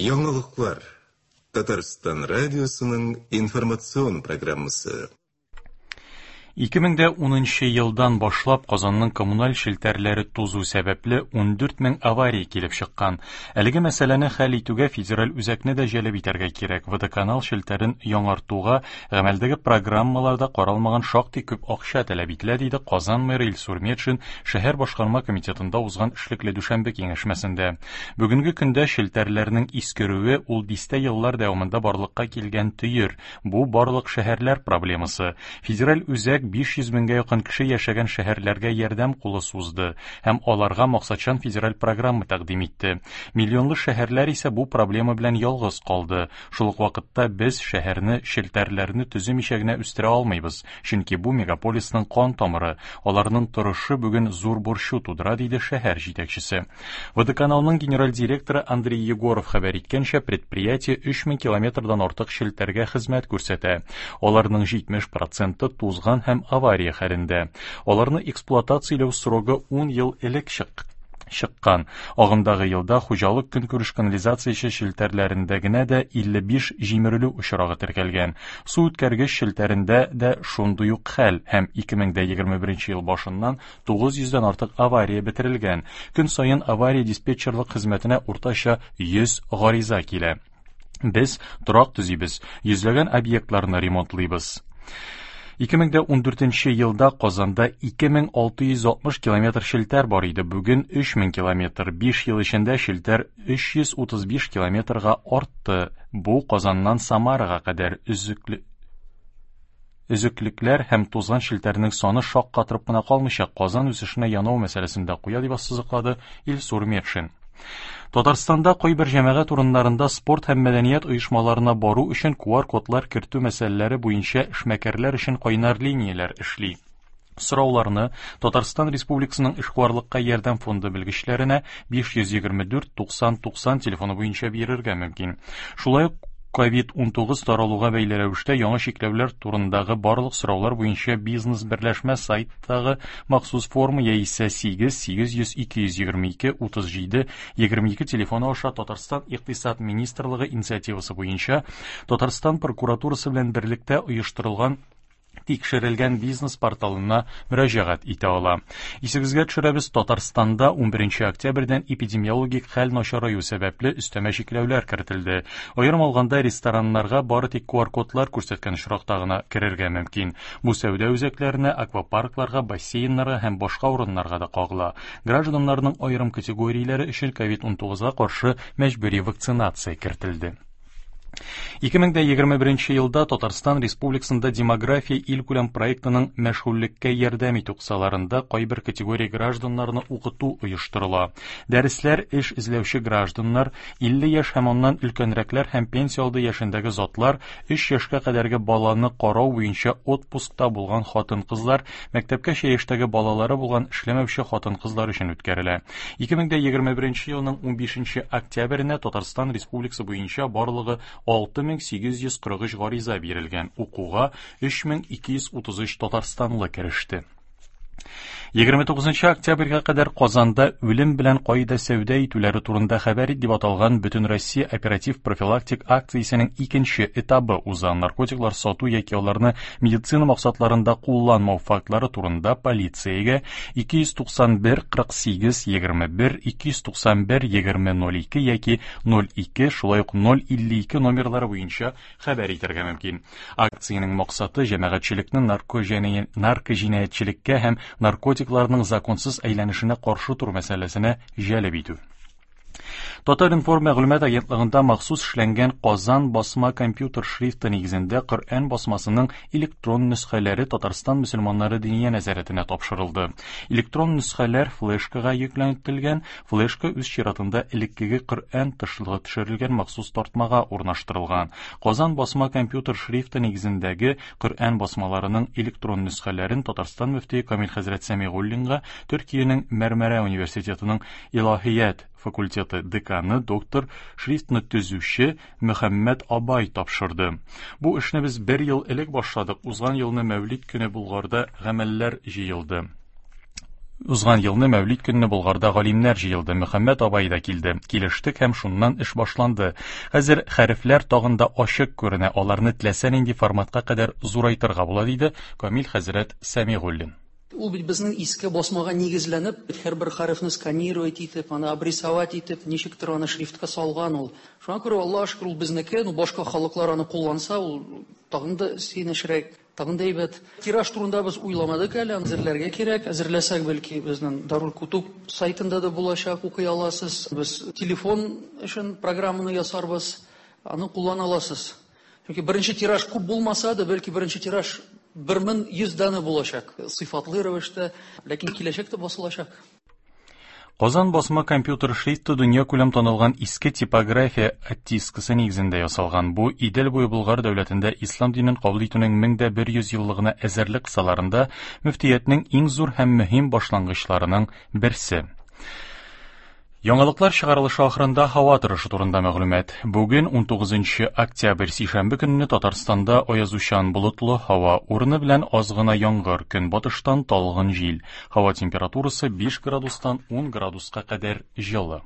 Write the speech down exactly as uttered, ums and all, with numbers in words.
Яңалыклар. Татарстан радиосының информацион программасы. ике мең дә унынчы елдан башлап Казанның коммуналь челтәрләре тузу сәбәпле ун дүрт мең авария килеп чыккан. Әлеге мәсьәләне хәл итүгә федераль үзәкне дә җәлеп итәргә кирәк. Водоканал челтәрен яңартуга гамәлдәге программаларда каралмаган шактый күп акча таләп ителә, диде Казан мэры Илсур Метшин шәһәр башкарма комитетында узган эшлекле дүшәмбе киңәшмәсендә. Бүгенге көндә челтәрләрнең искерүе ул дистә еллар дәвамында барлыкка килгән төер. Бу барлык шәһәрләр проблемасы. Федераль үзәк биш йөз меңгә якын кеше яшәгән шәһәрләргә ярдәм кулы сузды һәм аларга максатчан федераль программа тәкъдим итте. Миллионлы шәһәрләр исә бу проблема белән ялгыз калды. Шул ук вакытта без шәһәрне челтәрләрне төземичә генә үстерә алмыйбыз, чөнки бу мегаполисның кан тамыры. Аларның торышы бүген зур борчу тудыра, диде шәһәр җитәкчесе. Водоканалның генераль директоры Андрей Егоров хәбәр иткәнчә, предприятие өч мең километрдан артык челтәргә хезмәт күрсәтә. Аларның җитмеш проценты тузган һәм авария хәлендә. Аларны эксплуатацияләү срогы ун ел элек чык-, чыккан. Агымдагы елда хуҗалык көнкүреш канализациясе челтәрләрендә генә дә илле биш җимерелү очрагы теркәлгән. Су үткәргеч челтәрендә дә шундый ук хәл һәм ике мең дә егерме беренче ел башыннан тугыз йөздән артык авария бетерелгән. Көн саен авария диспетчерлык хезмәтенә уртача йөз гариза килә. Без торак төзибез, йөзләгән объектларны ремонтлыйбыз. Ике мең дә ундүртенче елда Казанда ике мең алты йөз алтмыш километр челтәр бар иде. Бүген өч мең километр. Биш ел эчендә челтәр өч йөз утыз биш километрга артты. Бу Казаннан Самарага кадәр өзекле-, өзеклекләр һәм тузган челтәрнең саны шаккатырып кына калмыйча, Казан үсешенә янау мәсьәләсен дә куя, дип ассызыклады Илсур Метшин. Татарстанда кайбер җәмәгать урыннарында спорт һәм мәдәният оешмаларына бару өчен ку ар кодлар кертү мәсьәләләре буенча эшмәкәрләр өчен кайнар линияләр эшли. Сорауларны Татарстан Республикасының эшкуарлыкка ярдәм фонды белгечләренә биш йөз егерме дүрт туксан туксан телефоны буенча бирергә мөмкин. Шулай ук ковид унтугыз таралуга бәйле рәвештә яңа чикләүләр турындагы барлык сораулар буенча бизнес берләшмә сайттагы махсус форма яисә сигез сигез йөз ике йөз егерме ике утыз җиде егерме ике телефоны аша Татарстан Икътисад Министрлыгы инициативасы буенча Татарстан прокуратурасы белән берлектә оештырылган тикшерелгән бизнес порталына мөрәҗәгать итә ала. Исегезгә төшерәбез, Татарстанда унберенче октябрьдән эпидемиологик хәл начараю сәбәпле өстәмә чикләүләр кертелде. Аерым алганда, рестораннарга бары тик ку ар кодлар күрсәткән очракта гына керергә мөмкин. Бу сәүдә үзәкләренә, аквапаркларга, бассейннарга һәм башка урыннарга да кагыла. Гражданнарның аерым категорияләре өчен ковид унтугызга каршы мәҗбүри вакцинация кертелде. Ике мең дә егерме беренче елда Татарстан Республикасында демография илкүләм проектының мәшгульлеккә ярдәм итү кысаларында кайбер категория гражданнарны укыту оештырыла. Дәресләр эш эзләүче гражданнар, илле яшь һәм аннан өлкәнрәкләр һәм пенсия алды яшендәге затлар, өч яшькә кадәрге баланы карау буенча отпускта булган хатын-кызлар, мәктәпкәчә яшьтәге балалары булган эшләмәүче хатын-кызлар өчен үткәрелә. Ике мең дә егерме беренче елның унбишенче октябренә Татарстан Республикасы буенча барлыгы алты мең сигез йөз кырык өч гариза бирелгән. Укуга өч мең ике йөз утыз өч татарстанлы кереште. Егерме тугызынчы октябрьгә кадәр Казанда үлем белән кайда сәүдә итүләре турында хәбәр ит дип аталган Бөтенроссия оператив профилактик акциясенең икенче этабы уза. Наркотиклар сату яки аларны медицина максатларында кулланмау фактлары турында полициягә ике йөз туксан бер кырык сигез егерме бер, ике йөз туксан бер егерме ноль ике яки ноль ике, шулай ук ноль илле ике номерлары буенча хәбәр итәргә мөмкин. Акциянең максаты җәмәгатьчелекне наркоҗинаятьчелеккә наркоҗинаятьчелеккә һәм наркотикларның законсыз әйләнешенә каршы тору мәсьәләсенә җәлеп итү. Татар-информ мәгълүмат агентлыгында махсус эшләнгән Казан басма компьютер шрифты нигезендә Коръән басмасының электрон нөсхәләре Татарстан мөселманнары диния нәзарәтенә тапшырылды. Электрон нөсхәләр флешкага йөкләтелгән, флешка үз чиратында элеккеге Коръән тышлыгы төшерелгән махсус тартмага урнаштырылган. Казан басма компьютер шрифты нигезендәге Коръән басмаларының электрон нөсхәләрен Татарстан мөфтие Камил хәзрәт Сәмигуллинга Төркиянең Мәрмәрә университетының Илаһият факультеты деканы доктор шрифтны төзүче Мөхәммәд Абай тапшырды. Бу эшне без бер ел элек башладык. Узган елны Мәүлид көне Булгарда гамәлләр җыелды. Узган елны Мәүлид көнне Болгарда галимнәр җыелды, Мөхәммәт абай да килде. Килештек һәм шуннан эш башланды. Хәзер хәрефләр тагын да ачык күренә, аларны теләсә нинди форматка кадәр зурайтырга була, диде Камил хәзрәт Сәмигуллин. Ул бит безнең иске басмага нигезләнеп, һәрбер хәрефне сканировать итеп, аны обрисовать итеп, ничектер аны шрифтка салган ул. Шуңа күрә Аллаһ шөкер, ул безнеке, ну башка халыклар аны кулланса, ул тагын да сөенечрәк, тагын да әйбәт. Тираж турында без уйламадык әле, әзерләргә кирәк. Әзерләсәк, бәлки безнең Дарул Кутуб сайтында да булачак, укый аласыз. Без телефон өчен программаны ясарбыз, аны куллана аласыз. Чөнки беренче тираж күп булмаса да, бәлки беренче тираж бер мең йөз данә булачак, сыйфатлы рәвештә, ләкин киләчәктә басылачак. Казан басма компьютер шрифты дөнья күләм танылган иске типография оттискасы нигезендә ясалган. Бу Идел буе Болгар дәүләтендә ислам динен кабул итүнең мең дә бер йөз еллыгына әзерлек кысаларында мөфтиятнең иң зур һәм мөһим башлангычларының берсе. Яңалыклар чыгарылышы ахырында һава торышы турында мәгълүмат. Бүген ун тугызынчы октябрь сишәмбе көнне Татарстанда аязучан болытлы һава, урыны белән аз гына яңгыр, көнбатыштан талгын җил. Һава температурасы биш градустан ун градуска кадәр җылы.